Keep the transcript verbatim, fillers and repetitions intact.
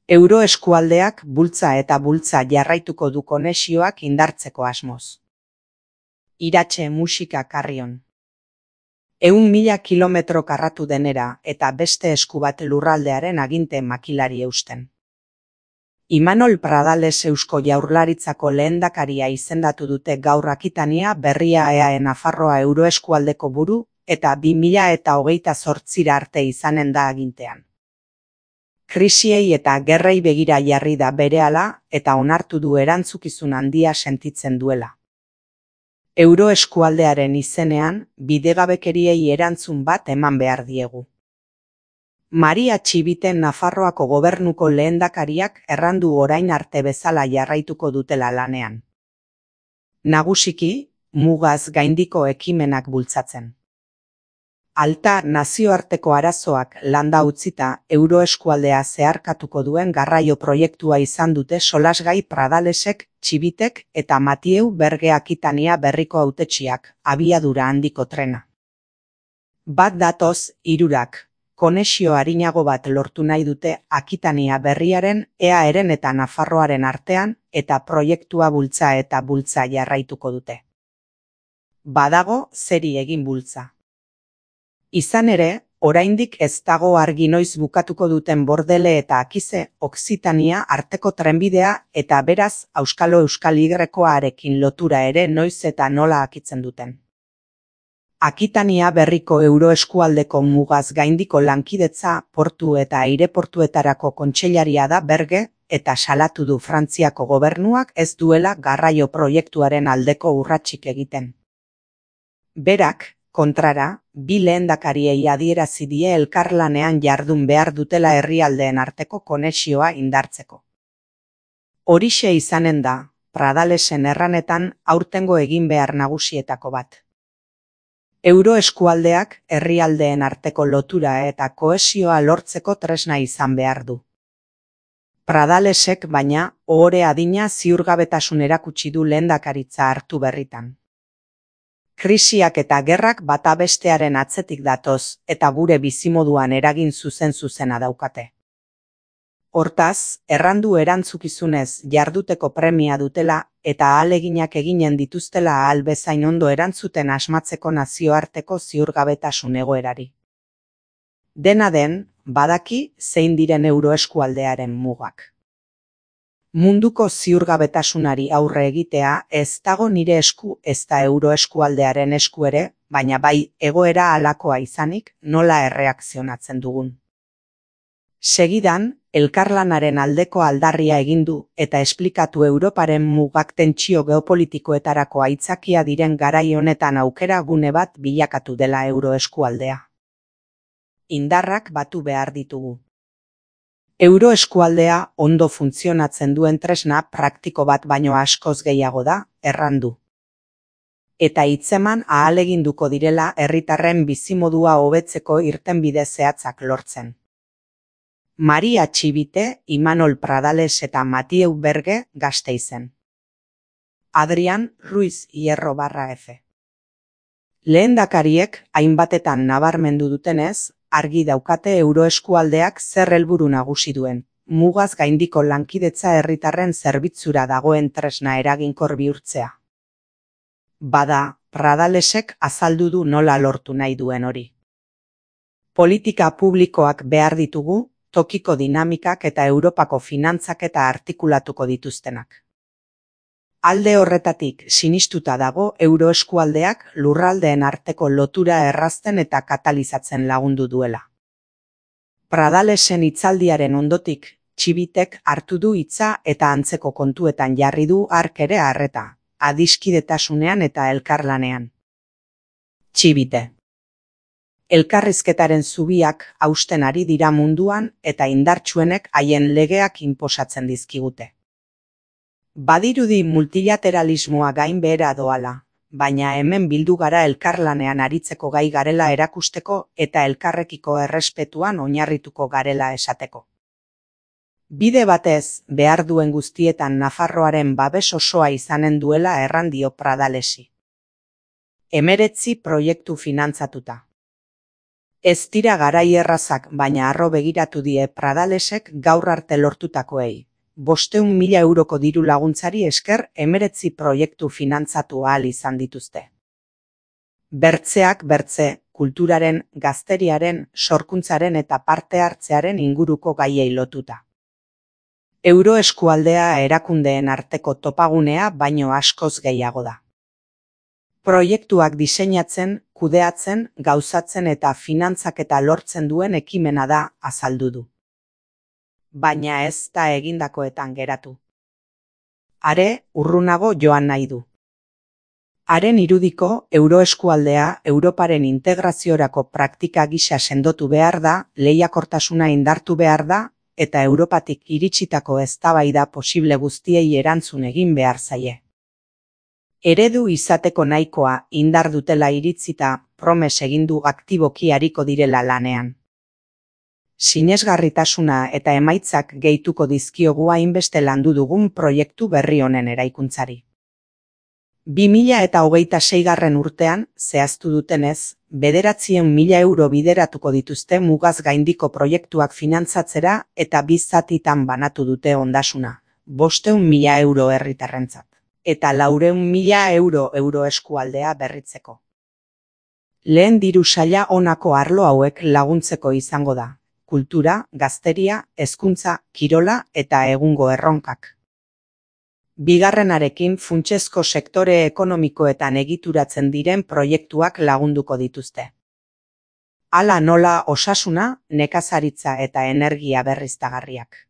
Euroeskualdeak bultza eta bultza jarraituko du konexioak indartzeko asmoz. Iratxe musika Carrion. Ehun mila kilometro karratu denera eta beste esku bat lurraldearen aginte makilari eusten. Imanol Pradales Eusko Jaurlaritzako lehendakaria izendatu dute gaur Akitania berria E A E Nafarroa Euroeskualdeko buru eta bi mila eta hogeita zortzira arte izanen da agintean. Krisiei eta gerrei begira jarri da berehala eta onartu du erantzukizun handia sentitzen duela. Euroeskualdearen izenean, bidegabekeriei erantzun bat eman behar diegu. Maria Txibiten Nafarroako gobernuko lehendakariak errandu orain arte bezala jarraituko dutela lanean. Nagusiki, mugaz gaindiko ekimenak bultzatzen. Alta nazioarteko arazoak landa utzita Euroeskualdea zeharkatuko duen garraio proiektua izan dute solasgai Pradalesek, Txibitek eta Matieu Berge Akitania berriko hautetsiak, abiadura handiko trena. Bat datoz, hirurak, konexio arinago bat lortu nahi dute Akitania berriaren, E A Eren eta Nafarroaren artean, eta proiektua bultza eta bultza jarraituko dute. Badago zeri egin bultza. Izan ere, oraindik ez dago argi noiz bukatuko duten Bordele eta Akize, Okzitania arteko trenbidea eta beraz Auskalo Euskal Yrekoarekin lotura ere noiz eta nola akitzen duten. Akitania berriko Euroeskualdeko mugaz gaindiko lankidetza portu eta aireportuetarako kontseilaria da Berge eta salatu du Frantziako gobernuak ez duela garraio proiektuaren aldeko urratsik egiten. Berak, kontrara, bi lehendakariei adierazi die elkarlanean jardun behar dutela herrialdeen arteko konexioa indartzeko. Horixe izanen da, Pradalesen erranetan aurtengo egin behar nagusietako bat. Euroeskualdeak herrialdeen arteko lotura eta kohesioa lortzeko tresna izan behar du. Pradalesek baina, ohore adina ziurgabetasun erakutsi du lehendakaritza hartu berritan. Krisiak eta gerrak bata bestearen atzetik datoz eta gure bizimoduan eragin zuzen-zuzena daukate. Hortaz, errandu erantzukizunez jarduteko premia dutela eta ahaleginak eginen dituztela ahal bezain ondo erantzuten asmatzeko nazioarteko ziurgabetasun egoerari. Dena den, badaki zein diren Euroeskualdearen mugak. Munduko ziurgabetasunari aurre egitea ez dago nire esku ez da Euroeskualdearen esku ere, baina bai egoera halakoa izanik nola erreakzionatzen dugun. Segidan, elkarlanaren aldeko aldarria egin du eta esplikatu Europaren mugak tentsio geopolitikoetarako aitzakia diren garai honetan aukera gune bat bilakatu dela Euroeskualdea. Indarrak batu behar ditugu. Euroeskualdea ondo funtzionatzen duen tresna praktiko bat baino askoz gehiago da, errandu. Eta hitzeman ahaleginduko direla herritarren bizimodua hobetzeko irtenbide zehatzak lortzen. Maria Txibite, Imanol Pradales eta Matieu Berge Gasteizen. Adrian Ruiz Hierro barra F. Lehendakariek hainbatetan nabarmendu dutenez, argi daukate Euroeskualdeak zer helburu nagusi duen, mugaz gaindiko lankidetza herritarren zerbitzura dagoen tresna eraginkor bihurtzea. Bada, Pradalesek azaldu du nola lortu nahi duen hori. Politika publikoak behar ditugu, tokiko dinamikak eta Europako finantzak eta artikulatuko dituztenak. Alde horretatik sinistuta dago Euroeskualdeak lurraldeen arteko lotura errazten eta katalizatzen lagundu duela. Pradalesen hitzaldiaren ondotik, Txibitek hartu du hitza eta antzeko kontuetan jarri du hark ere harreta, adiskidetasunean eta elkarlanean. Txibite. Elkarrizketaren zubiak hausten ari dira munduan eta indartsuenek haien legeak inposatzen dizkigute. Badirudi multilateralismoa gain behera doala, baina hemen bildu gara elkarlanean aritzeko gai garela erakusteko eta elkarrekiko errespetuan oinarrituko garela esateko. Bide batez, behar duen guztietan Nafarroaren babes osoa izanen duela errandio Pradalesi. Hemeretzi proiektu finantzatuta. Ez dira garai errazak, baina harro begiratu die Pradalesek gaur arte lortutakoei. Bosteun mila euroko diru laguntzari esker hemeretzi proiektu finantzatu ahal izan dituzte. Bertzeak bertze, kulturaren, gazteriaren, sorkuntzaren eta parte hartzearen inguruko gaiei lotuta. Euroeskualdea erakundeen arteko topagunea baino askoz gehiago da. Proiektuak diseinatzen, kudeatzen, gauzatzen eta finantzaketa lortzen duen ekimena da, azaldu du. Baina ez da egindakoetan geratu. Are, urrunago joan nahi du. Haren irudiko, euroeskualdea Europaren integraziorako praktika gisa sendotu behar da, lehiakortasuna indartu behar da, eta Europatik iritsitako eztabaida posible guztiei erantzun egin behar zaie. Eredu izateko nahikoa indar dutela iritzita, promes egin du aktiboki ariko direla lanean. Sinesgarritasuna eta emaitzak gehituko dizkiogu hainbeste landu dugun proiektu berri honen eraikuntzari. bi mila eta hogeita seigarren urtean, zehaztu dutenez, bederatziehun mila euro bideratuko dituzte mugaz gaindiko proiektuak finantzatzera eta bi zatitan banatu dute ondasuna, bosteun mila euro herritarrentzat, eta laureun mila euro euroeskualdea berritzeko. Lehen diru saila honako arlo hauek laguntzeko izango da: kultura, gazteria, hezkuntza, kirola eta egungo erronkak. Bigarrenarekin funtsezko sektore ekonomikoetan egituratzen diren proiektuak lagunduko dituzte. Hala nola osasuna, nekazaritza eta energia berriztagarriak.